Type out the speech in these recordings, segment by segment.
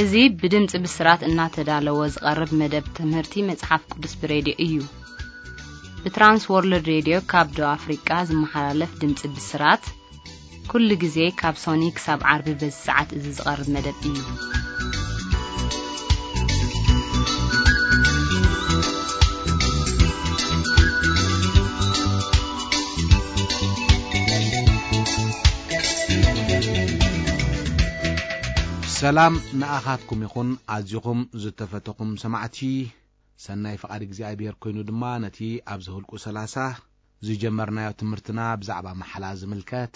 እዚ ብድምፂ ብስራት እናተዳለወ ዝቐርብ መደብ ትምህርቲ መፅሓፍ ቅዱስ ብሬድዮ እዩ። ብትራንስ ወርልድ ሬድዮ ካብ ደቡብ ኣፍሪቃ ዝመሓላለፍ ድምፂ ብስራት ኩሉ ግዜ ካብ ሶኒ ክሳብ ዓርቢ በዚ ሰዓት እዚ ዝቐርብ መደብ እዩ። ሰላም ንኣኻትኩም ይኹን። ኣዚኹም ዝተፈተኹም ሰማዕቲ፣ ሰናይ ፍቓድ እግዚኣብሔር ኮይኑ ድማ ነቲ ኣብዚ ህልቁ ሰላሳ ዝጀመርናዮ ትምህርትና ብዛዕባ መሓላ ዝምልከት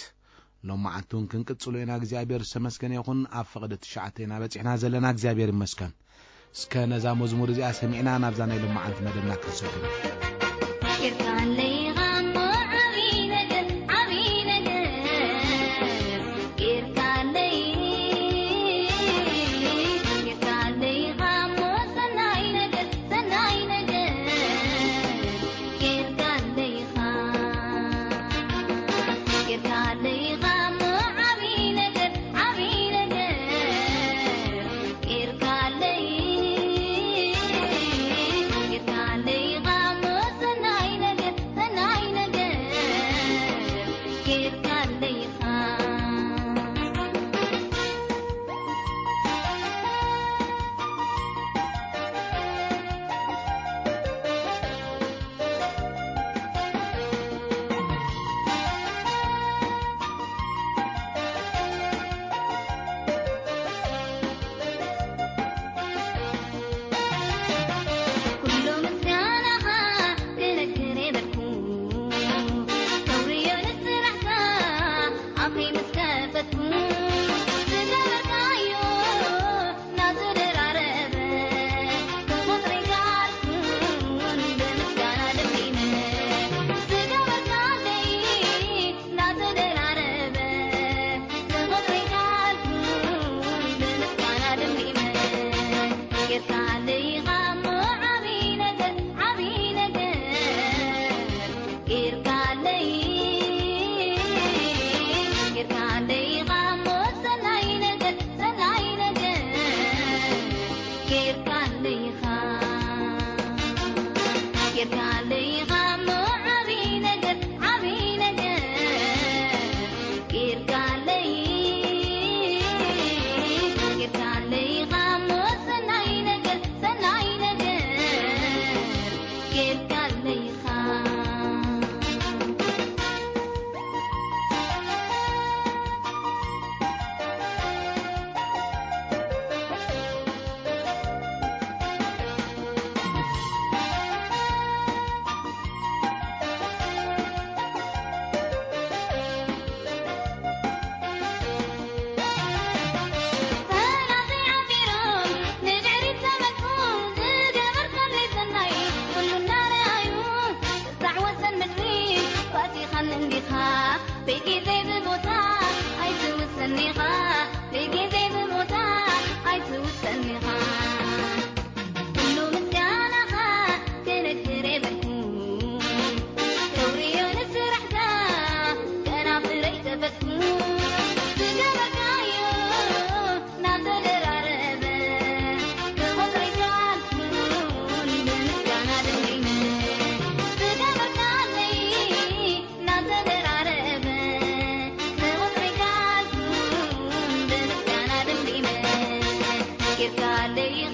ሎማዓንቲ እውን ክንቅጽሎ ኢና። እግዚኣብሔር ዝተመስገነ ይኹን። ኣብ ፍቕዲ ትሽዓተ ኢና በጺሕና ዘለና። እግዚኣብሔር ይመስገን። እስከ ነዛ መዝሙር እዚኣ ሰሚዕና ናብዛ ናይ ሎማዓንቲ መደብና ክንሰግር። ጌርካለይ ኻሞ ዓብዪ ነገር፣ ዓብዪ ነገር ጌርካለይ። ጌርካለይ ኻሞ ሰናይ ነገር፣ ሰናይ ነገር ጌርካለይ ኻ። ጌርካለይ ኻሞ ዓብዪ ነገር፣ ዓብዪ ነገር ጌርካለይ። ጌርካለይ ኻሞ ሰናይ ነገር፣ ሰናይ ነገር ጌርካለይ ኻ። ኩሉ ምስጋናኻ ክነግር የበልኩ፣ ክብርዮ ንስራሕካ ኣፈይ ምስ ከፈትኩ፣ ዝገበርካዮ እናተደራረበ ክቑጽሪ ካልኩን ብምስጋና ደሚመ፣ ዝገበርካለይ እናተደራረበ ክቑጽሪ ካልኩን ብምስጋና ደሚመ፣ ጌርካለይ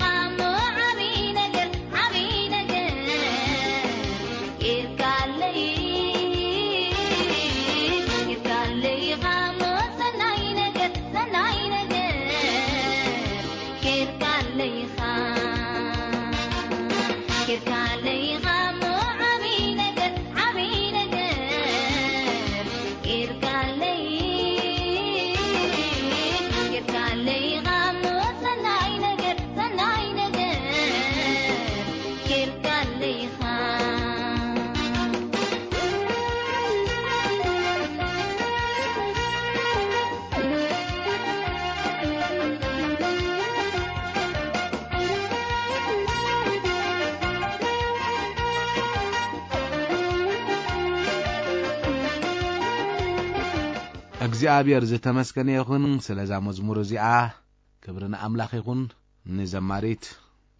ኻሞ ዓብዪ ነገር፣ ዓብዪ ነገር ጌርካለይ። ጌርካለይ ኻሞ ሰናይ ነገር፣ ሰናይ ነገር ጌርካለይ ኻ። ጌርካለይ ኻሞ ዓብዪ ነገር፣ ዓብዪ ነገር ጌርካለይ። ጌርካለይ ኻሞ ሰናይ ነገር፣ ሰናይ ነገር ጌርካለይ ኻ። እግዚኣብሔር ዝተመስገነ ይኹን ስለዛ መዝሙር እዚኣ። ክብሪ ንኣምላኽ ይኹን። ንዘማሪት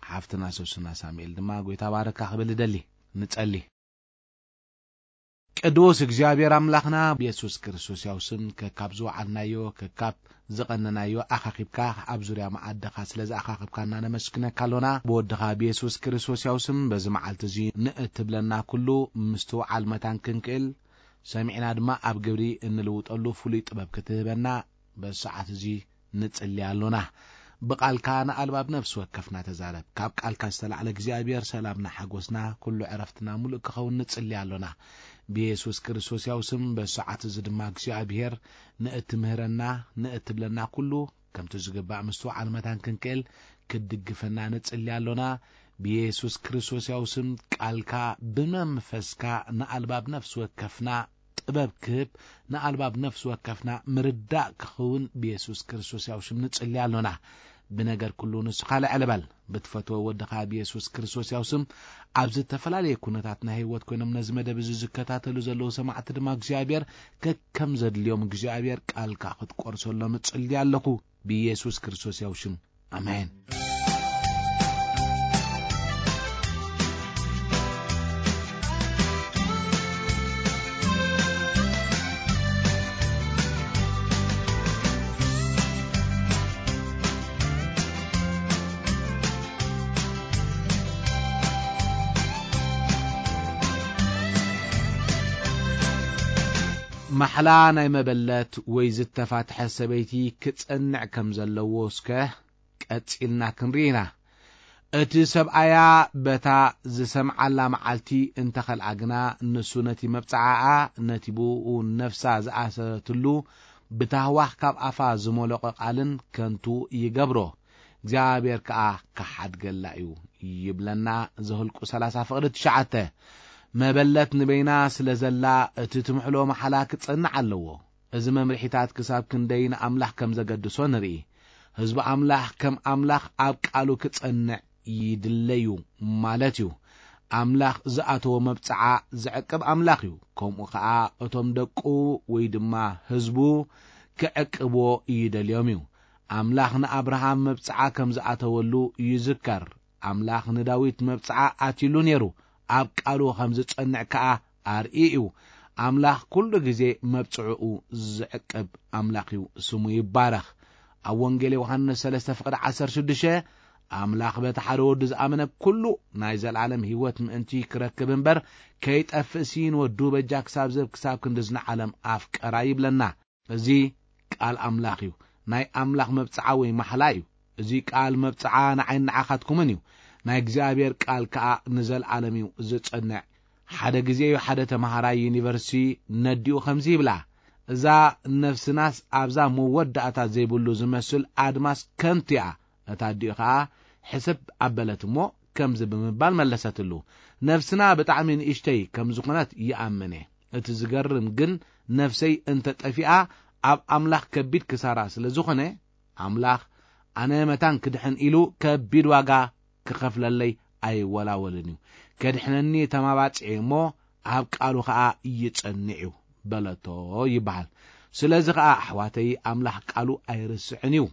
ሓፍትና ሶስና ሳሙኤል ድማ ጎይታ ባረካ ክብል እደሊ። ንጸሊ። ቅዱስ እግዚኣብሔር ኣምላኽና፣ ብየሱስ ክርስቶስ ያው ስም፣ ከካብ ዝወዓልናዮ፣ ከካብ ዝቐነናዮ ኣኻኺብካ ኣብ ዙርያ መዓድኻ ስለ ዝኣኻኽብካና ነመስግነካ ኣሎና። ብወድኻ ብየሱስ ክርስቶስ ያው ስም በዚ መዓልቲ እዚ ንእትብለና ኩሉ ምስትውዓል መታን ክንክእል፣ ሰሚዕና ድማ ኣብ ግብሪ እንልውጠሉ ፍሉይ ጥበብ ክትህበና በዚ ሰዓት እዚ ንጽሊ ኣሎና። ብቓልካ ንኣልባብ ነፍሲ ወከፍና ተዛረብ። ካብ ቃልካ ዝተላዕለ እግዚኣብሔር ሰላምና ሓጎስና ኩሉ ዕረፍትና ሙሉእ ክኸውን ንጽሊ ኣሎና። ብየሱስ ክርስቶስ ያው ስም በዚ ሰዓት እዚ ድማ እግዚኣብሔር ንእትምህረና ንእትብለና ኩሉ ከምቲ ዝግባእ ምስትውዓል መታን ክንክእል ክትድግፈና ንጽሊ ኣሎና። ብየሱስ ክርስቶስ ያው ስም ቃልካ ብመንፈስካ ንኣልባብ ነፍሲ ወከፍና ጥበብ ክህብ ንኣልባብ ነፍሲ ወከፍና ምርዳእ ክኸውን ብየሱስ ክርስቶስ ያው ሽም ንጽሊ ኣሎና። ብነገር ኩሉ ንስኻ ልዕል በል። ብትፈትዎ ወድኻ ብየሱስ ክርስቶስ ያው ስም ኣብ ዝተፈላለየ ኩነታት ናይ ህይወት ኮይኖም ነዚ መደብ እዚ ዝከታተሉ ዘለዉ ሰማዕቲ ድማ እግዚኣብሔር ከከም ዘድልዮም እግዚኣብሔር ቃልካ ክትቆርሰሎም እጽሊ ኣለኹ ብየሱስ ክርስቶስ ያው ሽም። ኣሜን። ማሕላ ናይ መበለት ወይ ዝተፋትሐ ሰበይቲ ክጸንዕ ከም ዘለዎ እስከ ቀጺልና ክንርኢ ኢና። እቲ ሰብኣያ በታ ዝሰምዓላ መዓልቲ እንተኸልኣ ግና፣ ንሱ ነቲ መብጽዓኣ፣ ነቲ ብእኡ ነፍሳ ዝኣሰረትሉ ብታህዋኽ ካብ ኣፋ ዝመለቖ ቃልን ከንቱ ይገብሮ። እግዚኣብሔር ከኣ ክሓድገላ እዩ ይብለና ዘኍልቁ ሰላሳ ፍቕዲ ትሽዓተ። መበለት ንበይና ስለ ዘላ እቲ ትምሕሎ መሓላ ክጸንዕ ኣለዎ። እዚ መምርሒታት ክሳብ ክንደይ ንኣምላኽ ከም ዘገድሶ ንርኢ። ህዝቢ ኣምላኽ ከም ኣምላኽ ኣብ ቃሉ ክጸንዕ ይድለዩ ማለት እዩ። ኣምላኽ ዝኣተዎ መብጽዓ ዝዕቅብ ኣምላኽ እዩ። ከምኡ ኸኣ እቶም ደቁ ወይ ድማ ህዝቡ ክዕቅብዎ ይደልዮም እዩ። ኣምላኽ ንኣብርሃም መብጽዓ ከም ዝኣተወሉ ይዝከር። ኣምላኽ ንዳዊት መብጽዓ ኣትዩሉ ነይሩ። ኣብ ቃሉ ከም ዝጸንዕ ከኣ ኣርኢ እዩ። ኣምላኽ ኩሉ ግዜ መብጽዕኡ ዝዕቅብ ኣምላኽ እዩ፣ ስሙ ይባረኽ። ኣብ ወንጌል ዮሃንስ ሰለስተ ፍቕዲ ዓሰርተ ሽዱሽተ፣ ኣምላኽ በቲ ሓደ ወዱ ዝኣመነ ኩሉ ናይ ዘለኣለም ህይወት ምእንቲ ክረክብ እምበር ከይጠፍእሲ ንወዱ በጃ ክሳብ ዝህብ ክሳብ ክንዲ ዝንዓለም ኣፍቀራ ይብለና። እዚ ቃል ኣምላኽ እዩ። ናይ ኣምላኽ መብጽዓ ወይ ማሕላ እዩ። እዚ ቃል መብጽዓ ንዓይን ንዓኻትኩምን እዩ። ናይ እግዚኣብሔር ቃል ከኣ ንዘለኣለም እዩ ዝጸንዕ። ሓደ ግዜ እዩ ሓደ ተመሃራይ ዩኒቨርሲቲ ነዲኡ ከምዚ ይብላ፣ "እዛ ነፍስናስ ኣብዛ መወዳእታ ዘይብሉ ዝመስል ኣድማስ ከንቱ እያ። እታ ኣዲኡ ከኣ ሕስብ ኣበለት እሞ ከምዚ ብምባል መለሰትሉ፣ ነፍስና ብጣዕሚ ንእሽተይ ከም ዝኾነት ይኣምን እየ። እቲ ዝገርም ግን ነፍሰይ እንተ ጠፊኣ ኣብ ኣምላኽ ከቢድ ክሳራ ስለ ዝኾነ፣ ኣምላኽ ኣነ መታን ክድሕን ኢሉ ከቢድ ዋጋ ክኸፍለለይ ኣይወላወልን እዩ። ከድሕነኒ ተማባጺዐ እሞ ኣብ ቃሉ ኸኣ ይጸንዕ እዩ" በለቶ ይበሃል። ስለዚ ኸኣ ኣሕዋተይ ኣምላኽ ቃሉ ኣይርስዕን እዩ።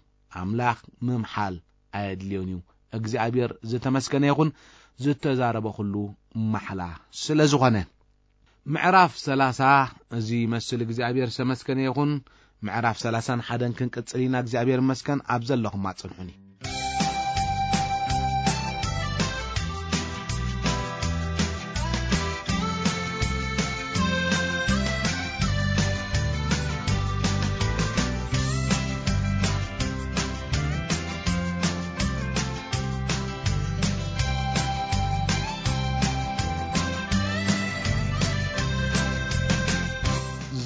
ኣምላኽ ምምሓል ኣየድልዮን እዩ። እግዚኣብሔር ዝተመስገነ ይኹን፣ ዝተዛረበ ኩሉ ማሕላ ስለ ዝኾነ። ምዕራፍ ሰላሳ እዚ ይመስል። እግዚኣብሔር ዝተመስገነ ይኹን። ምዕራፍ ሰላሳን ሓደን ክንቅጽል ኢና። እግዚኣብሔር ይመስገን። ኣብ ዘለኹም ኣጽንሑኒ።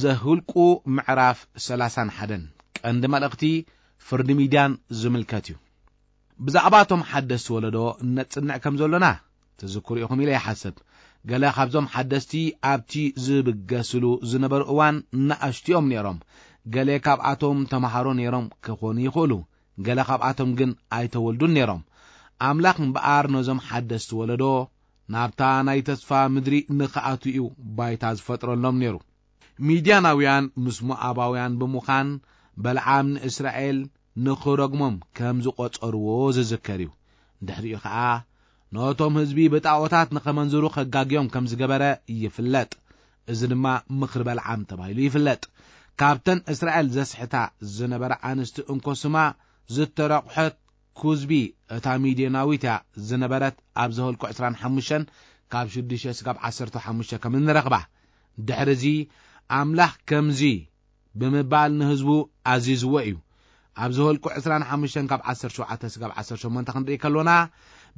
ዘኍልቁ ምዕራፍ ሰላሳን ሓደን ቀንዲ መልእኽቲ ፍርዲ ሚድያን ዝምልከት እዩ። ብዛዕባ እቶም ሓደስቲ ወለዶ እነጽንዕ ከም ዘሎና ትዝክሩ ኢኹም ኢለ ይሓስብ። ገለ ካብዞም ሓደስቲ ኣብቲ ዝብገስሉ ዝነበሩ እዋን ንኣሽቱ እዮም ነይሮም። ገለ ካብኣቶም ተምሃሮ ነይሮም ክኾኑ ይኽእሉ። ገለ ካብኣቶም ግን ኣይተወልዱን ነይሮም። ኣምላኽ እምበኣር ነዞም ሓደስቲ ወለዶ ናብታ ናይ ተስፋ ምድሪ ንኽኣትዉ እዩ ባይታ ዝፈጥረሎም ነይሩ። ሚድያናውያን ምስ ሞኣባውያን ብምዃን በለዓም ንእስራኤል ንኽረግሞም ከም ዝቖጸርዎ ዝዝከር እዩ። ድሕሪኡ ኸኣ ነቶም ህዝቢ ብጣዖታት ንኸመንዝሩ ኸጋግዮም ከም ዝገበረ ይፍለጥ። እዚ ድማ ምኽሪ በልዓም ተባሂሉ ይፍለጥ። ካብተን እስራኤል ዘስሕታ ዝነበራ ኣንስቲ እንኮ ስማ ዝተረቑሐት ኩዝቢ እታ ሚድዮናዊት እያ ዝነበረት። ኣብ ዘኍልቁ ዕስራን ሓሙሽተን ካብ ሽዱሽተ ስጋብ ዓሰርተ ሓሙሽተ ከም እንረኽባ። ድሕሪ እዚ ኣምላኽ ከምዚ ብምባል ንህዝቡ ኣዚዝዎ እዩ። ኣብ ዘኍልቁ ዕስራን ሓሙሽተን ካብ ዓሰርተ ሸውዓተ ስጋብ ዓሰርተ ሸሞንተ ክንርኢ ከሎና፣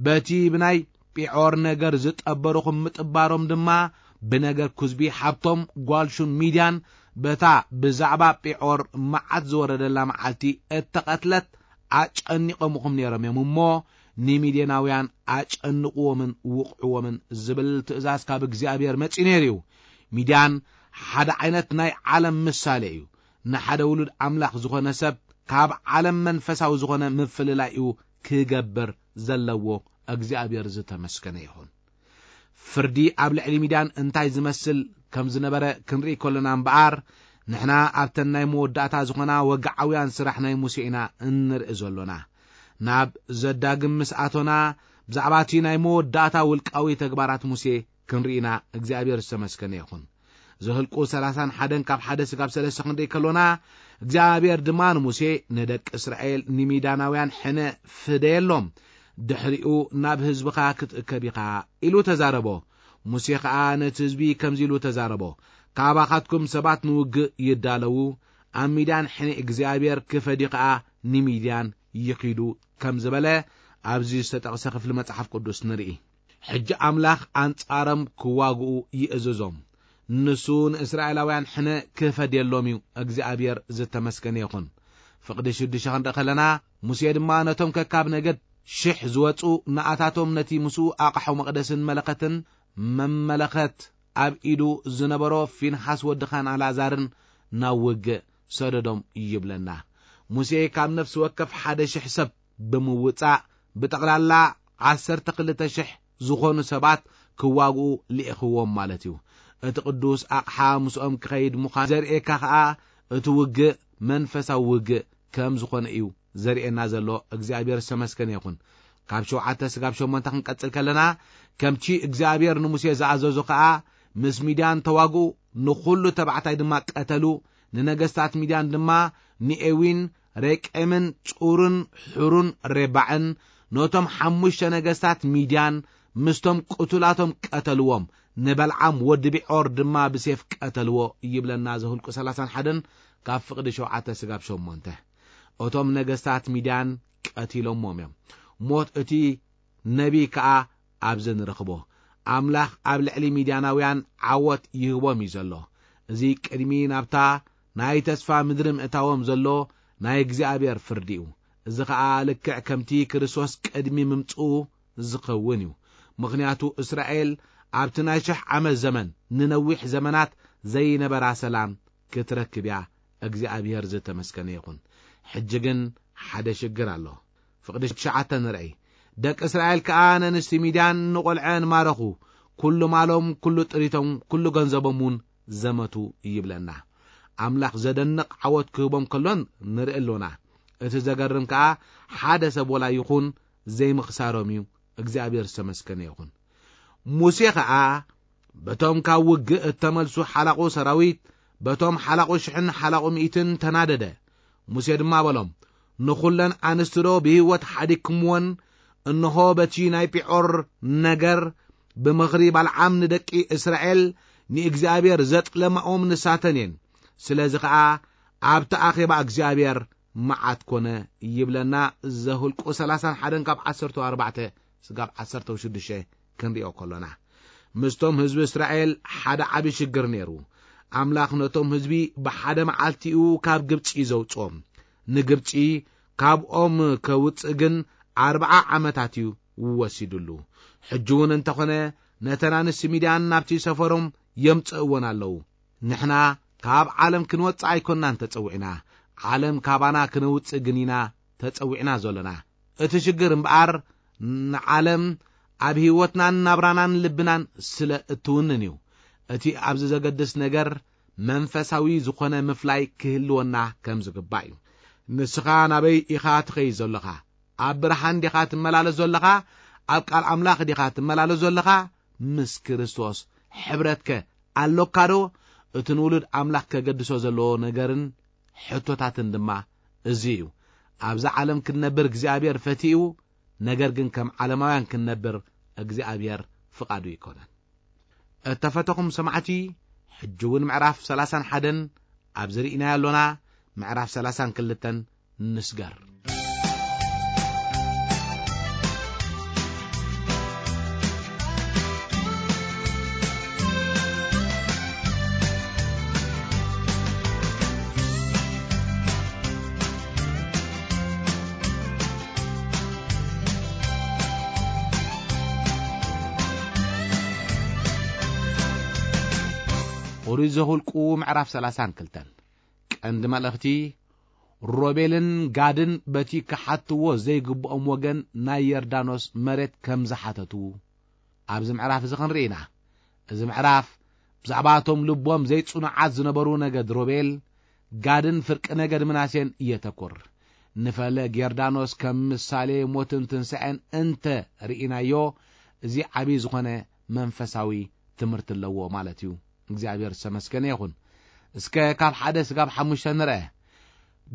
በቲ ብናይ ጲዖር ነገር ዝጠበርኹም ምጥባሮም ድማ ብነገር ኩዝቢ ሓብቶም ጓል ሹን ሚድያን በታ ብዛዕባ ጲዖር መዓት ዝወረደላ መዓልቲ እተቐትለት ኣጨኒቖምኹም ነይሮም እዮም እሞ፣ ንሚድያናውያን ኣጨንቕዎምን ውቕዕዎምን ዝብል ትእዛዝ ካብ እግዚኣብሔር መጺኡ ነይሩ እዩ። ሚድያን ሓደ ዓይነት ናይ ዓለም ምሳሌ እዩ። ንሓደ ውሉድ ኣምላኽ ዝኾነ ሰብ ካብ ዓለም መንፈሳዊ ዝኾነ ምፍልላይኡ ክገብር ዘለዎ እግዚኣብሔር ዝተመስገነ ይኹን። ፍርዲ ኣብ ልዕሊ ሚድያን እንታይ ዝመስል ከም ዝነበረ ክንርኢ ከሎና እምበኣር፣ ንሕና ኣብተን ናይ መወዳእታ ዝኾና ወግዓውያን ስራሕ ናይ ሙሴ ኢና እንርኢ ዘሎና። ናብ ዘዳግም ምስ ኣቶና፣ ብዛዕባ እቲ ናይ መወዳእታ ውልቃዊ ተግባራት ሙሴ ክንርኢና እግዚኣብሔር ዝተመስገነ ይኹን። ዘህልቁ ሰላሳን ሓደን ካብ ሓደ ስጋብ ሰለስተ ክንርኢ ከሎና፣ እግዚኣብሔር ድማ ንሙሴ፣ "ንደቂ እስራኤል ንሚዳናውያን ሕነ ፍደየሎም፣ ድሕሪኡ ናብ ህዝብኻ ክትእከብ ኢኻ" ኢሉ ተዛረቦ። ሙሴ ኸኣ ነቲ ህዝቢ ከምዚ ኢሉ ተዛረቦ፣ "ካባኻትኩም ሰባት ንውግእ ይዳለዉ፣ ኣብ ሚድያን ሕነ እግዚኣብሔር ክፈድዩ ኸኣ ንሚድያን ይኺዱ" ከም ዝበለ ኣብዚ ዝተጠቕሰ ክፍሊ መጽሓፍ ቅዱስ ንርኢ። ሕጂ ኣምላኽ ኣንጻሮም ክዋግኡ ይእዝዞም። ንሱ ንእስራኤላውያን ሕነ ክፈድየሎም እዩ። እግዚኣብሔር ዝተመስገነ ይኹን። ፍቕዲ ሽዱሽተ ክንርኢ ከለና፣ ሙሴ ድማ ነቶም ከካብ ነገድ ሽሕ ዝወጹ ንኣታቶም ነቲ ምስኡ ኣቕሑ መቕደስን መለኸትን መመለኸት ኣብ ኢዱ ዝነበሮ ፊንሓስ ወዲ ኻን ኣልኣዛርን ናብ ውግእ ሰደዶም ይብለና። ሙሴ ካብ ነፍሲ ወከፍ ሓደ ሽሕ ሰብ ብምውጻእ ብጠቕላላ ዓሰርተ ክልተ ሽሕ ዝኾኑ ሰባት ክዋግኡ ልኢኽዎም ማለት እዩ። እቲ ቅዱስ ኣቕሓ ምስኦም ክኸይድ ምዃን ዘርእየካ ኸኣ እቲ ውግእ መንፈሳዊ ውግእ ከም ዝኾነ እዩ ዘርእየና ዘሎ። እግዚኣብሔር ዝተመስገነ ይኹን። ካብ ሸውዓተ ስጋብ ሸሞንተ ክንቀጽል ከለና፣ ከምቲ እግዚኣብሔር ንሙሴ ዝኣዘዞ ኸኣ ምስ ሚድያን ተዋግኡ፣ ንኹሉ ተባዕታይ ድማ ቀተሉ። ንነገስታት ሚድያን ድማ ንኤዊን ሬቄምን ጹርን ሑሩን ሬባዕን፣ ነቶም ሓሙሽተ ነገስታት ሚድያን ምስቶም ቅቱላቶም ቀተልዎም። ንበልዓም ወዲ ቢዖር ድማ ብሴፍ ቀተልዎ ይብለና ዘሁልቁ ሰላሳን ሓደን ካብ ፍቕዲ ሸውዓተ ስጋብ ሸሞንተ። እቶም ነገስታት ሚድያን ቀቲሎምዎም እዮም። ሞት እቲ ነቢይ ከኣ ኣብዚ ንረኽቦ። ኣምላኽ ኣብ ልዕሊ ሚድያናውያን ዓወት ይህቦም እዩ ዘሎ። እዚ ቅድሚ ናብታ ናይ ተስፋ ምድሪ ምእታዎም ዘሎ ናይ እግዚኣብሔር ፍርዲ እዩ። እዚ ኸኣ ልክዕ ከምቲ ክርስቶስ ቅድሚ ምምጽኡ ዝኸውን እዩ። ምኽንያቱ እስራኤል ኣብቲ ናይ ሽሕ ዓመት ዘመን ንነዊሕ ዘመናት ዘይነበራ ሰላም ክትረክብ እያ። እግዚኣብሔር ዝተመስገነ ይኹን። ሕጂ ግን ሓደ ሽግር ኣሎ። ፍቕዲ ትሽዓተ ንርኣይ። ደቂ እስራኤል ከኣ ነንስቲ ሚድያን ንቖልዐን ማረኹ፣ ኩሉ ማሎም፣ ኩሉ ጥሪቶም፣ ኩሉ ገንዘቦም እውን ዘመቱ ይብለና። ኣምላኽ ዘደንቕ ዓወት ክህቦም ከሎን ንርኢ ኣሎና። እቲ ዘገርም ከኣ ሓደ ሰብ ወላ ይኹን ዘይምኽሳሮም እዩ። እግዚኣብሔር ዝተመስገነ ይኹን። ሙሴ ኸኣ በቶም ካብ ውግእ እተመልሱ ሓላቑ ሰራዊት፣ በቶም ሓላቑ ሽሕን ሓላቑ ሚእትን ተናደደ። ሙሴ ድማ በሎም፣ "ንኹለን ኣንስቲ ዶ ብህይወት ሓዲግኩምወን? እንሆ በቲ ናይ ጲዖር ነገር ብምኽሪ ባልዓም ንደቂ እስራኤል ንእግዚኣብሔር ዘጥለማኦም ንሳተን እየን። ስለዚ ኸኣ ኣብቲ ኣኼባ እግዚኣብሔር መዓት ኮነ" ይብለና። ዘሁልቁ ሰላሳን ሓደን ካብ ዓሰርተ ኣርባዕተ ስጋብ ዓሰርተ ሽዱሽተ ክንሪኦ ከሎና፣ ምስቶም ህዝቢ እስራኤል ሓደ ዓቢ ሽግር ነይሩ። ኣምላኽ ነቶም ህዝቢ ብሓደ መዓልቲኡ ካብ ግብጺ ዘውጽኦም፣ ንግብጺ ካብኦም ከውጽእ ግን ኣርብዓ ዓመታት እዩ ወሲዱሉ። ሕጂ እውን እንተኾነ ነተን ኣንስቲ ሚድያን ናብቲ ሰፈሮም የምጽእወን ኣለዉ። ንሕና ካብ ዓለም ክንወጽእ ኣይኮንናን ተጸዊዕና፣ ዓለም ካባና ክነውጽእ ግን ኢና ተጸዊዕና ዘሎና። እቲ ሽግር እምበኣር ንዓለም ኣብ ህይወትናን ናብራናን ልብናን ስለ እትውንን እዩ። እቲ ኣብዚ ዘገድስ ነገር መንፈሳዊ ዝኾነ ምፍላይ ክህልወና ከም ዝግባእ እዩ። ንስኻ ናበይ ኢኻ ትኸይድ ዘለኻ? ኣብ ብርሃን ዲኻ ትመላለስ ዘለኻ? ኣብ ቃል ኣምላኽ ዲኻ ትመላለስ ዘለኻ? ምስ ክርስቶስ ሕብረትከ ኣሎካ ዶ? እቲ ንውሉድ ኣምላኽ ከገድሶ ዘለዎ ነገርን ሕቶታትን ድማ እዚ እዩ። ኣብዛ ዓለም ክንነብር እግዚኣብሔር ፈቲኡ፣ ነገር ግን ከም ዓለማውያን ክንነብር እግዚኣብሔር ፍቓዱ ኣይኮነን። እተፈተኹም ሰማዕቲ፣ ሕጂ እውን ምዕራፍ ሰላሳን ሓደን ኣብዚ ርኢናዮ ኣሎና፣ ምዕራፍ ሰላሳን ክልተን ንስገር። ኦሪት ዘኍልቁ ምዕራፍ ሰላሳን ክልተን። ቀንዲ መልእኽቲ፣ ሮቤልን ጋድን በቲ ክሓትዎ ዘይግብኦም ወገን ናይ ዮርዳኖስ መሬት ከም ዝሓተቱ ኣብዚ ምዕራፍ እዚ ክንርኢ ኢና። እዚ ምዕራፍ ብዛዕባ እቶም ልቦም ዘይጽኑዓት ዝነበሩ ነገድ ሮቤል፣ ጋድን ፍርቂ ነገድ ምናሴን የተኩር። ንፈለግ ዮርዳኖስ ከም ምሳሌ ሞትን ትንሳኤን እንተ ርኢናዮ፣ እዚ ዓብዪ ዝኾነ መንፈሳዊ ትምህርቲ ኣለዎ ማለት እዩ። እግዚኣብሔር ዝተመስገነ ይኹን። እስከ ካብ ሓደ ስጋብ ሓሙሽተ ንርአ።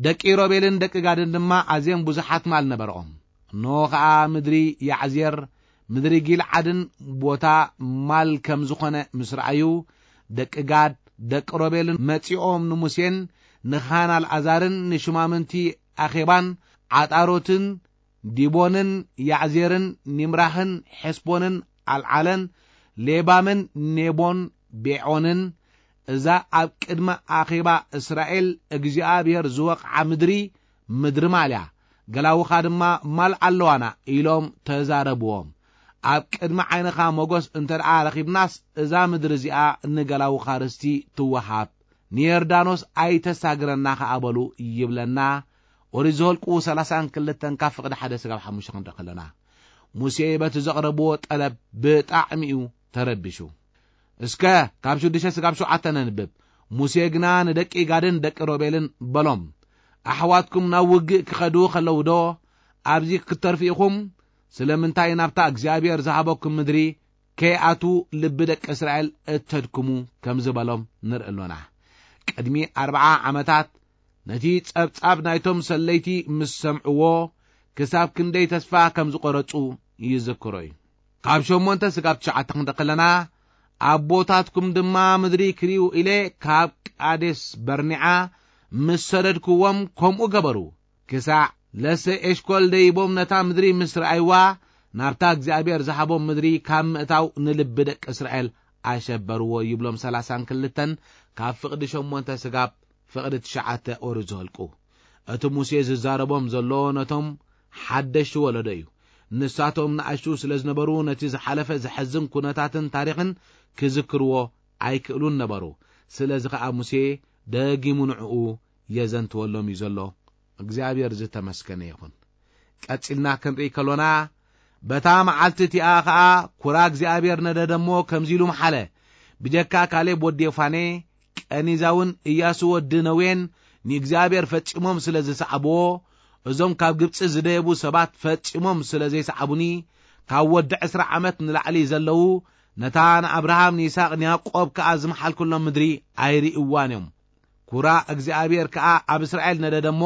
ደቂ ሮቤልን ደቂ ጋድን ድማ ኣዝዮም ብዙሓት ማል ነበርኦም። እንሆ ኸኣ ምድሪ ያዕዜር፣ ምድሪ ጊልዓድን ቦታ ማል ከም ዝኾነ ምስ ረኣዩ፣ ደቂ ጋድ፣ ደቂ ሮቤልን መጺኦም ንሙሴን ንኻህን ኣልኣዛርን ንሹማምንቲ ኣኼባን ዓጣሮትን ዲቦንን ያዕዜርን ኒምራህን ሐስቦንን ኣልዓለን ሌባምን ኔቦን ቤዖንን፣ እዛ ኣብ ቅድሚ ኣኼባ እስራኤል እግዚኣብሔር ዝወቕዓ ምድሪ፣ ምድሪ ማል እያ፣ ገላውኻ ድማ ማል ኣለዋና ኢሎም ተዛረብዎም። ኣብ ቅድሚ ዓይንኻ ሞገስ እንተ ደኣ ረኺብናስ፣ እዛ ምድሪ እዚኣ ንገላውኻ ርስቲ ትወሃብ፣ ንዮርዳኖስ ኣይተሳግረና ኸኣ በሉ ይብለና። ኦሪት ዘኍልቁ ሰላሳን ክልተን ካብ ፍቕዲ ሓደ ስጋብ ሓሙሽተ ክንርኢ ከለና፣ ሙሴ በቲ ዘቕረብዎ ጠለብ ብጣዕሚ እዩ ተረቢሹ። እስከ ካብ ሽዱሽተ ስጋብ ሸውዓተ ነንብብ። ሙሴ ግና ንደቂ ጋድን ደቂ ሮቤልን በሎም፣ ኣሕዋትኩም ናብ ውግእ ክኸዱ ኸለዉ ዶ ኣብዚ ክትተርፉ ኢኹም? ስለምንታይ ናብታ እግዚኣብሔር ዝሃበኩም ምድሪ ከይኣትዉ ልቢ ደቂ እስራኤል እተድክሙ ከም ዝበሎም ንርኢ ኣሎና። ቅድሚ ኣርብዓ ዓመታት ነቲ ጸብጻብ ናይቶም ሰለይቲ ምስ ሰምዕዎ፣ ክሳብ ክንደይ ተስፋ ከም ዝቖረጹ ይዝክሮ እዩ። ካብ ሸሞንተ ስጋብ ትሽዓተ ክንርኢ ከለና፣ ኣቦታትኩም ድማ ምድሪ ክርእዩ ኢለ ካብ ቃዴስ በርኔዓ ምስ ሰደድክዎም ከምኡ ገበሩ። ክሳዕ ለሰ ኤሽኮል ደይቦም ነታ ምድሪ ምስ ረኣይዋ፣ ናብታ እግዚኣብሔር ዝሃቦም ምድሪ ካብ ምእታው ንልቢ ደቂ እስራኤል ኣሸበርዎ ይብሎም ሰላሳን ክልተን ካብ ፍቕዲ ሸሞንተ ስጋብ ፍቕዲ ትሽዓተ ኦሪት ዘኍልቁ። እቲ ሙሴ ዝዛረቦም ዘሎ ነቶም ሓደሽቲ ወለዶ እዩ። ንሳቶም ንኣሽቱ ስለ ዝነበሩ ነቲ ዝሓለፈ ዘሐዝን ኩነታትን ታሪኽን ክዝክርዎ ኣይክእሉን ነበሩ። ስለዚ ኸኣ ሙሴ ደጊሙ ንዕኡ የዘንትወሎም እዩ ዘሎ። እግዚኣብሔር ዝተመስገነ ይኹን። ቀጺልና ክንርኢ ከሎና፣ በታ መዓልቲ እቲኣ ኸኣ ኩራ እግዚኣብሔር ነደደ እሞ ከምዚ ኢሉ መሓለ፣ ብጀካ ካሌብ ወዲ ዮፋኔ፣ ቀኒዛውን እያሱ ወዲ ነዌን ንእግዚኣብሔር ፈጺሞም ስለ ዝሰዓብዎ፣ እዞም ካብ ግብጺ ዝደየቡ ሰባት ፈጺሞም ስለ ዘይሰዓቡኒ፣ ካብ ወዲ ዕስራ ዓመት ንላዕሊ ዘለዉ፣ ነታ ንኣብርሃም ንይስሐቅ ንያዕቆብ ከኣ ዝመሓልኩሎም ምድሪ ኣይርእይዋን እዮም። ኩራ እግዚኣብሔር ከኣ ኣብ እስራኤል ነደደ እሞ፣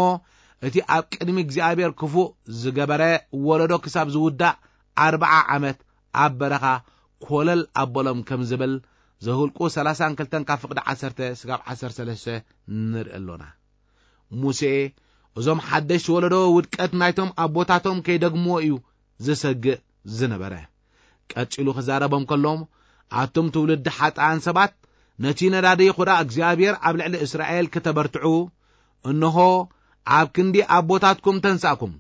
እቲ ኣብ ቅድሚ እግዚኣብሔር ክፉእ ዝገበረ ወለዶ ክሳብ ዝውዳእ ኣርብዓ ዓመት ኣብ በረኻ ኮለል ኣበሎም ከም ዝብል ዘሁልቁ ሰላሳን ክልተን ካብ ፍቕዲ ዓሰርተ ስጋብ ዓሰርተ ሰለስተ ንርኢ ኣሎና። ሙሴ እዞም ሓደሽ ወለዶ ውድቀት ናይቶም ኣቦታቶም ከይደግምዎ እዩ ዝሰግእ ዝነበረ። ቀጺሉ ክዛረቦም ከሎ፣ ኣቱም ትውልዲ ሓጥኣን ሰባት፣ ነቲ ነዳዲ ኹራ እግዚኣብሔር ኣብ ልዕሊ እስራኤል ክተበርትዑ፣ እንሆ፣ ኣብ ክንዲ ኣቦታትኩም ተንሳእኩም፣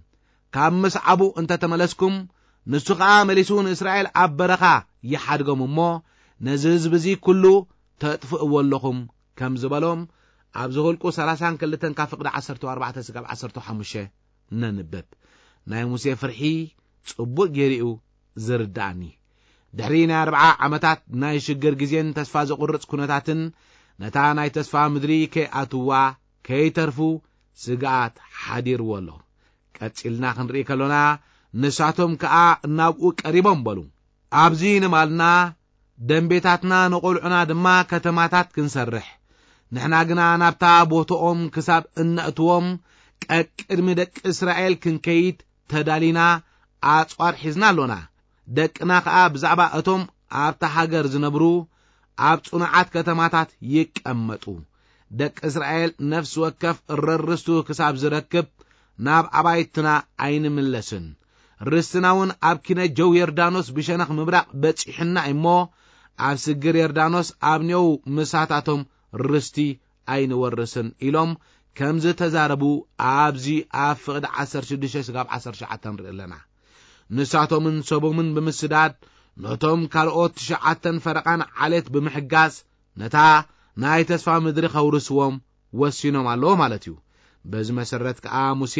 ካብ ምስዓቡ እንተ ተመለስኩም፣ ንሱ ኸኣ መሊሱ ንእስራኤል ኣብ በረኻ ይሓድጎም እሞ፣ ነዚ ህዝቢ እዚ ኩሉ ተጥፍእዎ ኣለኹም፣ ከም ዝበሎም፣ ኣብ ዘሁልቁ ሰላሳን ክልተን ካብ ፍቕዲ ዓሰርተ ኣርባዕተ ስጋብ ዓሰርተ ሓሙሽተ ነንብብ። ናይ ሙሴ ፍርሒ ጽቡቕ ገይሩ እዩ ዝርድኣኒ። ድሕሪ ናይ ኣርብዓ ዓመታት ናይ ሽግር ግዜን ተስፋ ዘቑርጽ ኩነታትን፣ ነታ ናይ ተስፋ ምድሪ ከይኣትዋ፣ ከይተርፉ፣ ስግኣት ሓዲርዎ ኣሎ። ቀጺልና ክንርኢ ከሎና፣ ንሳቶም ከኣ ናብኡ ቀሪቦም በሉ፣ "ኣብዚ ንማልና፣ ደንቤታትና ንቖልዑና ድማ ከተማታት ክንሰርሕ፣ ንሕና ግና ናብታ ቦታኦም ክሳብ እነእትዎም ቀቅድሚ ደቂ እስራኤል ክንከይድ ተዳሊና ኣጽዋር ሒዝና ኣሎና። ደቅና ኸኣ ብዛዕባ እቶም ኣብታ ሃገር ዝነብሩ ኣብ ጽኑዓት ከተማታት ይቀመጡ። ደቂ እስራኤል ነፍሲ ወከፍ ረርስቱ ክሳብ ዝረክብ ናብ ኣባይትና ኣይንምለስን። ርስትና እውን ኣብ ኪነ ጀው ዮርዳኖስ ብሸነኽ ምብራቕ በጺሑና እሞ፣ ኣብ ስግር ዮርዳኖስ ኣብ ኔው ምሳታቶም ርስቲ ኣይንወርስን" ኢሎም ከም ዝተዛረቡ ኣብዚ ኣብ ፍቕዲ ዓሰርተ ሽዱሽተ ስጋብ ዓሰርተ ትሽዓተ ንርኢ ኣለና። ንሳቶምን ሰቦምን ብምስዳድ፣ ነቶም ካልኦት ትሽዓተን ፈረቓን ዓሌት ብምሕጋዝ፣ ነታ ናይ ተስፋ ምድሪ ከውርስዎም ወሲኖም ኣለዉ ማለት እዩ። በዚ መሰረት ከኣ ሙሴ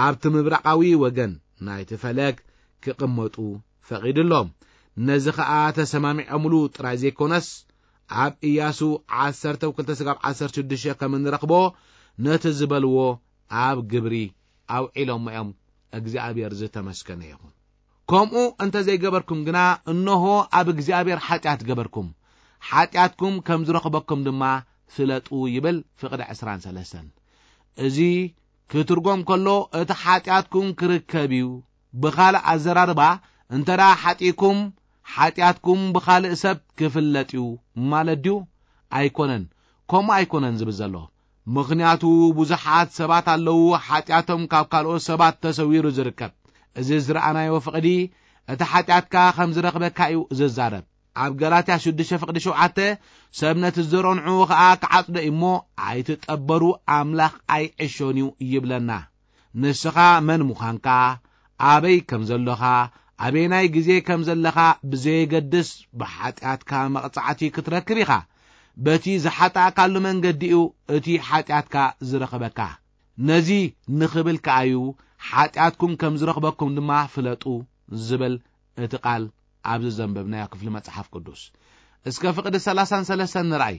ኣብቲ ምብራቓዊ ወገን ናይቲ ፈለግ ክቕመጡ ፈቒድሎም። ነዚ ኸኣ ተሰማሚዖምሉ ጥራይ ዘይኮነስ፣ ኣብ ኢያሱ ዓሰርተ ክልተ ስጋብ ዓሰርተ ሽዱሽተ ከም እንረኽቦ፣ ነቲ ዝበልዎ ኣብ ግብሪ ኣውዒሎሞ እዮም። እግዚኣብሔር ዝተመስገነ ይኹን። "ከምኡ እንተ ዘይገበርኩም ግና፣ እንሆ ኣብ እግዚኣብሔር ሓጢኣት ገበርኩም፣ ሓጢኣትኩም ከም ዝረኽበኩም ድማ ፍለጡ" ይብል ፍቕዲ ዕስራን ሰለስተን። እዚ ክትርጎም ከሎ፣ እቲ ሓጢኣትኩም ክርከብ እዩ። ብኻልእ ኣዘራርባ፣ እንተ ደኣ ሓጢእኩም፣ ሓጢኣትኩም ብኻልእ ሰብ ክፍለጥ እዩ ማለት ድዩ? ኣይኮነን። ከምኡ ኣይኮነን ዝብል ዘሎ። ምኽንያቱ፣ ብዙሓት ሰባት ኣለዉ፣ ሓጢኣቶም ካብ ካልኦት ሰባት ተሰዊሩ ዝርከብ። እዚ ዝረኣናዮ ፍቕዲ፣ እቲ ሓጢኣትካ ከም ዝረኽበካ እዩ ዝዛረብ። ኣብ ገላትያ ሽዱሽተ ፍቕዲ ሸውዓተ፣ "ሰብ ነቲ ዝዘርኦ ንዕኡ ኸኣ ክዓጽዶ እዩ እሞ፣ ኣይትጠበሩ፣ ኣምላኽ ኣይዕሾን እዩ" ይብለና። ንስኻ መን ምዃንካ፣ ኣበይ ከም ዘሎኻ፣ ኣበየናይ ግዜ ከም ዘለኻ ብዘየገድስ፣ ብሓጢኣትካ መቕጻዕቲ ክትረክብ ኢኻ። በቲ ዝሓጣእካሉ መንገዲ እዩ እቲ ሓጢኣትካ ዝረኽበካ። ነዚ ንኽብል ከኣ እዩ፣ "ሓጢኣትኩም ከም ዝረኽበኩም ድማ ፍለጡ" ዝብል እቲ ቃል ኣብዚ ዘንበብናዮ ክፍሊ መጽሓፍ ቅዱስ። እስከ ፍቕዲ ሰላሳን ሰለስተን ንርኣይ።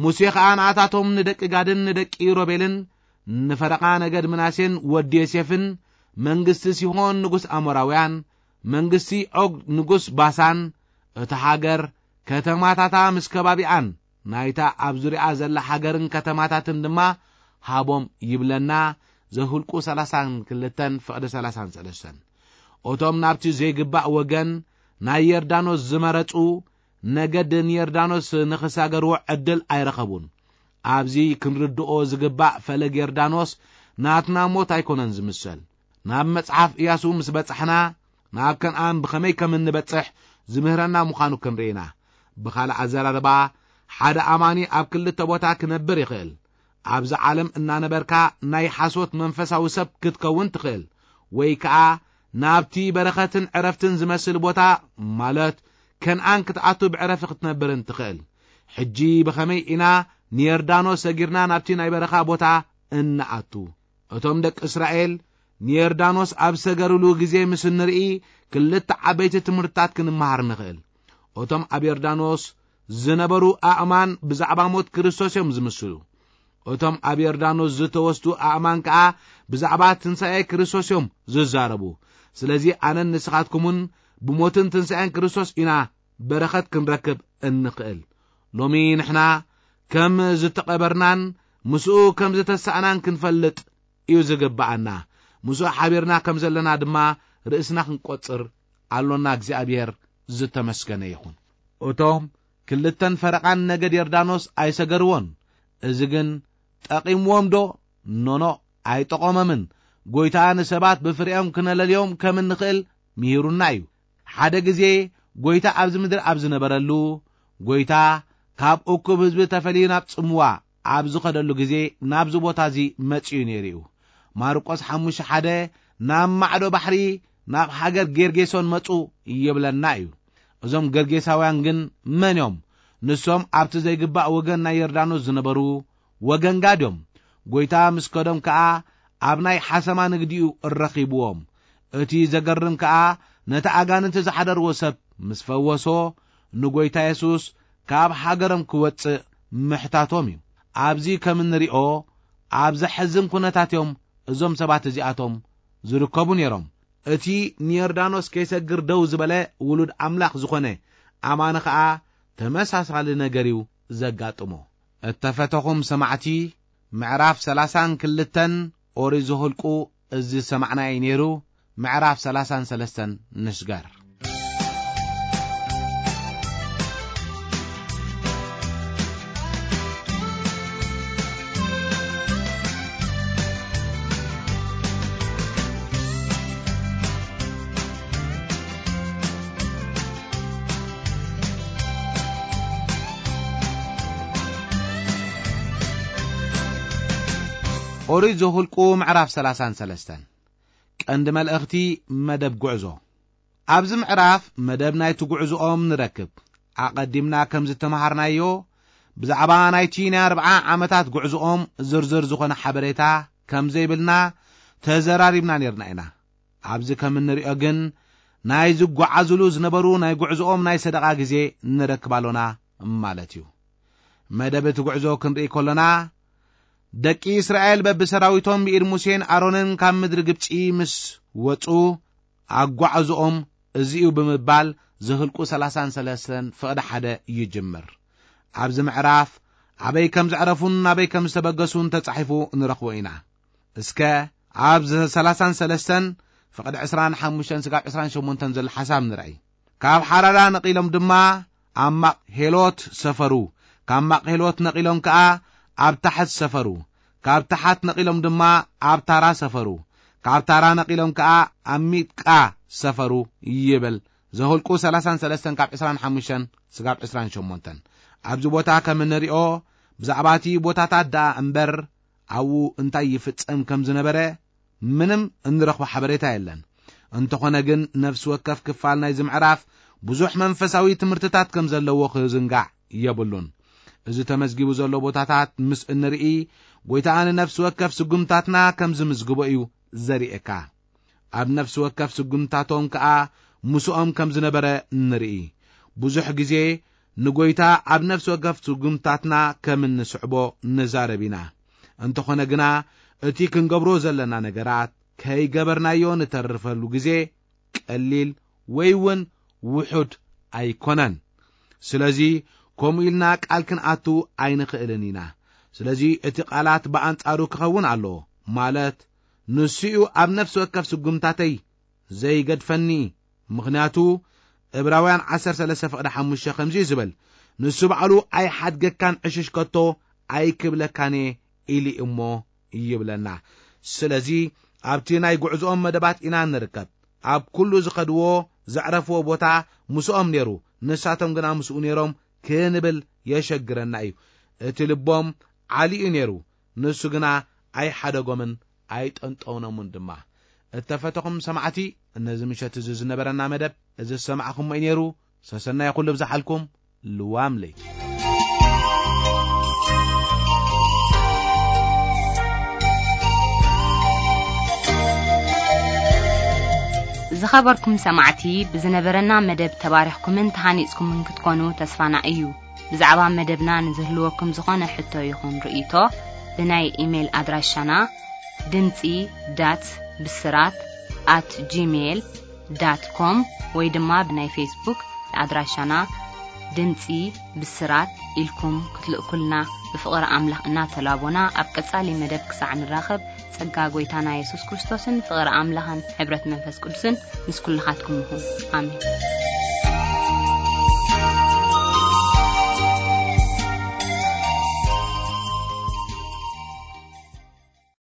"ሙሴ ኸኣ ንኣታቶም ንደቂ ጋድን ንደቂ ሮቤልን፣ ንፈረቓ ነገድ ምናሴን ወዲ ዮሴፍን፣ መንግስቲ ሲሆን ንጉስ ኣሞራውያን፣ መንግስቲ ዖግ ንጉስ ባሳን፣ እታ ሃገር፣ ከተማታታ ምስ ከባቢኣን፣ ናይታ ኣብ ዙርያኣ ዘላ ሃገርን ከተማታትን ድማ ሃቦም" ይብለና። ዘሁልቁ ሰላሳን ክልተን ፍቕዲ ሰላሳን ሰለስተን። እቶም ናብቲ ዘይግባእ ወገን ናይ ዮርዳኖስ ዝመረጹ ነገድ ንዮርዳኖስ ንኽሳገርዎ ዕድል ኣይረኸቡን። ኣብዚ ክንርድኦ ዝግባእ፣ ፈለግ ዮርዳኖስ ናትና ሞት ኣይኮነን ዝምሰል። ናብ መጽሓፍ ኢያሱ ምስ በጻሕና፣ ናብ ከነኣን ብኸመይ ከም እንበጽሕ ዝምህረና ምዃኑ ክንርኢ ኢና። ብኻልእ ኣዘራርባ፣ ሓደ ኣማኒ ኣብ ክልተ ቦታ ክነብር ይኽእል። ኣብዚ ዓለም እናነበርካ ናይ ሓሶት መንፈሳዊ ሰብ ክትከውን ትኽእል፣ ወይ ከኣ ናብቲ በረኸትን ዕረፍትን ዝመስል ቦታ፣ ማለት ከነኣን ክትኣቱ ብዕረፊ ክትነብርን ትኽእል። ሕጂ ብኸመይ ኢና ንዮርዳኖስ ሰጊርና ናብቲ ናይ በረኻ ቦታ እንኣቱ? እቶም ደቂ እስራኤል ንዮርዳኖስ ኣብ ሰገርሉ ግዜ ምስ እንርኢ፣ ክልተ ዓበይቲ ትምህርትታት ክንመሃር ንኽእል። እቶም ኣብ ዮርዳኖስ ዝነበሩ ኣእማን ብዛዕባ ሞት ክርስቶስ እዮም ዝምስሉ። እቶም ኣብ ዮርዳኖስ ዝተወስዱ ኣእማን ከኣ ብዛዕባ ትንሳኤ ክርስቶስ እዮም ዝዛረቡ። ስለዚ ኣነን ንስኻትኩምን ብሞትን ትንሳኤን ክርስቶስ ኢና በረኸት ክንረክብ እንኽእል። ሎሚ ንሕና ከም ዝተቐበርናን ምስኡ ከም ዝተሳእናን ክንፈልጥ እዩ ዝግብኣና። ምስኡ ሓቢርና ከም ዘለና ድማ ርእስና ክንቆጽር ኣሎና። እግዚኣብሔር ዝተመስገነ ይኹን። እቶም ክልተን ፈረቓን ነገድ ዮርዳኖስ ኣይሰገርዎን። እዚ ግን ጠቒምዎም ዶ? ኖኖ፣ ኣይጠቖሞምን። ጐይታ ንሰባት ብፍሬኦም ክነለልዮም ከም እንኽእል ምሂሩና እዩ። ሓደ ግዜ ጐይታ ኣብዚ ምድሪ ኣብ ዝነበረሉ፣ ጐይታ ካብ እኩብ ህዝቢ ተፈልዩ ናብ ጽምዋ ኣብ ዝኸደሉ ግዜ ናብዚ ቦታ እዚ መጺኡ ነይሩ እዩ። ማርቆስ ሓሙሽተ ሓደ፣ ናብ ማዕዶ ባሕሪ ናብ ሃገር ጌርጌሶን መጹ ይብለና እዩ። እዞም ገርጌሳውያን ግን መን እዮም? ንሶም ኣብቲ ዘይግባእ ወገን ናይ ዮርዳኖስ ዝነበሩ ወገን ጋድ እዮም። ጐይታ ምስ ከዶም ከኣ ኣብ ናይ ሓሰማ ንግዲኡ ረኺብዎም። እቲ ዘገርም ከኣ ነቲ ኣጋንንቲ ዝሓደርዎ ሰብ ምስ ፈወሶ፣ ንጐይታ የሱስ ካብ ሃገሮም ክወጽእ ምሕታቶም እዩ። ኣብዚ ከም እንሪኦ፣ ኣብ ዘሕዝን ኩነታት እዮም እዞም ሰባት እዚኣቶም ዝርከቡ ነይሮም። እቲ ንዮርዳኖስ ከይሰግር ደው ዝበለ ውሉድ ኣምላኽ ዝኾነ ኣማኒ ኸኣ ተመሳሳሊ ነገር እዩ ዘጋጥሞ። እተፈተኹም ሰማዕቲ፣ ምዕራፍ ሰላሳን ክልተን ኦሪት ዘኍልቁ እዚ ዝሰማዕናዮ እዩ ነይሩ። ምዕራፍ ሰላሳን ሰለስተን ንስገር። ኦሪት ዘኍልቁ ምዕራፍ ሰላሳን ሰለስተን። ቀንዲ መልእኽቲ መደብ ጉዕዞ። ኣብዚ ምዕራፍ መደብ ናይቲ ጉዕዞኦም ንረክብ። ኣቐዲምና ከም ዝተምሃርናዮ፣ ብዛዕባ ናይቲ ናይ ኣርብዓ ዓመታት ጉዕዞኦም ዝርዝር ዝኾነ ሓበሬታ ከም ዘይብልና ተዘራሪብና ነርና ኢና። ኣብዚ ከም እንሪኦ ግን፣ ናይ ዝጓዓዙሉ ዝነበሩ ናይ ጉዕዞኦም ናይ ሰደቓ ግዜ ንረክብ ኣሎና ማለት እዩ። መደብ እቲ ጉዕዞ ክንርኢ ከሎና፣ ደቂ እስራኤል በብሰራዊቶም ብኢድ ሙሴን ኣሮንን ካብ ምድሪ ግብጺ ምስ ወጹ፣ ኣጓዕዞኦም እዚ እዩ ብምባል ዘኍልቁ ሰላሳን ሰለስተን ፍቕዲ ሓደ ይጅምር። ኣብዚ ምዕራፍ ኣበይ ከም ዘዕረፉን ናበይ ከም ዝተበገሱን ተጻሒፉ ንረኽቦ ኢና። እስከ ኣብ ሰላሳን ሰለስተን ፍቕዲ ዕስራን ሓሙሽተን ስጋብ ዕስራን ሸሞንተን ዘሎ ሓሳብ ንርኣይ። ካብ ሓራዳ ነቒሎም ድማ ኣብ ማቕ ሄሎት ሰፈሩ። ካብ ማቕ ሄሎት ነቒሎም ከኣ ኣብ ታሕት ሰፈሩ። ካብ ታሕት ነቒሎም ድማ ኣብ ታራ ሰፈሩ። ካብ ታራ ነቒሎም ከኣ ኣብ ሚጥቃ ሰፈሩ ይብል። ዘኍልቁ ሰላሳን ሰለስተን ካብ ዕስራን ሓሙሽተን ስጋብ ዕስራን ሸሞንተን። ኣብዚ ቦታ ከም እንሪኦ ብዛዕባ እቲ ቦታታት ደኣ እምበር ኣብኡ እንታይ ይፍጸም ከም ዝነበረ ምንም እንረኽቦ ሓበሬታ የለን። እንተኾነ ግን ነፍሲ ወከፍ ክፋል ናይዚ ምዕራፍ ብዙሕ መንፈሳዊ ትምህርትታት ከም ዘለዎ ክዝንጋዕ የብሉን። እዚ ተመዝጊቡ ዘሎ ቦታታት ምስ እንርኢ፣ ጐይታ ንነፍሲ ወከፍ ስጉምታትና ከም ዝምዝግቦ እዩ ዘርእየካ። ኣብ ነፍሲ ወከፍ ስጉምታቶም ከኣ ምስኦም ከም ዝነበረ ንርኢ። ብዙሕ ግዜ ንጐይታ ኣብ ነፍሲ ወከፍ ስጉምታትና ከም እንስዕቦ ንዛረብ ኢና። እንተኾነ ግና፣ እቲ ክንገብሮ ዘለና ነገራት ከይገበርናዮ ንተርፈሉ ግዜ ቀሊል ወይ እውን ውሑድ ኣይኮነን። ስለዚ፣ ከምኡ ኢልና ቃል ክንኣቱ ኣይንኽእልን ኢና። ስለዚ፣ እቲ ቃላት ብኣንጻሩ ክኸውን ኣለዎ፣ ማለት ንሱ እዩ ኣብ ነፍሲ ወከፍ ስጉምታተይ ዘይገድፈኒ። ምኽንያቱ፣ ዕብራውያን ዓሰርተ ሰለስተ ፍቕዲ ሓሙሽተ ከምዚ እዩ ዝብል፣ "ንሱ ባዕሉ ኣይሓድገካን ዕሽሽ ከቶ ኣይክብለካን እየ" ኢሉ እሞ ይብለና። ስለዚ፣ ኣብቲ ናይ ጉዕዞኦም መደባት ኢና ንርከብ። ኣብ ኩሉ ዝኸድዎ፣ ዘዕረፍዎ ቦታ ምስኦም ነይሩ፣ ንሳቶም ግና ምስኡ ነይሮም ክንብል የሸግረና እዩ። እቲ ልቦም ዓሊኡ ነይሩ፣ ንሱ ግና ኣይሓደጎምን ኣይጠንጠውኖምን ድማ። እተፈተኹም ሰማዕቲ፣ ነዚ ምሸት እዚ ዝነበረና መደብ እዚ ዝሰማዕኹሞ እዩ ነይሩ። ሰሰናይ ኩሉ ብዝሓልኩም። ልዋም ለይቲ። ዝኸበርኩም ሰማዕቲ፣ ብዝነበረና መደብ ተባሪኽኩምን ተሃኒጽኩምን ክትኮኑ ተስፋና እዩ። ብዛዕባ መደብና ንዝህልወኩም ዝኾነ ሕቶ ይኹን ርእይቶ፣ ብናይ ኢሜይል ኣድራሻና ድምጺ ዳት ብስራት ኣት ጂሜይል ዳት ኮም ወይ ድማ ብናይ ፌስቡክ ኣድራሻና ድምጺ ብስራት ኢልኩም ክትልእኩልና ብፍቕሪ ኣምላኽ እናተላቦና፣ ኣብ ቀጻሊ መደብ ክሳዕ ንራኸብ፣ ጸጋ ጐይታና የሱስ ክርስቶስን ፍቕሪ ኣምላኽን ሕብረት መንፈስ ቅዱስን ምስ ኩልኻትኩም ይኹን። ኣሜን።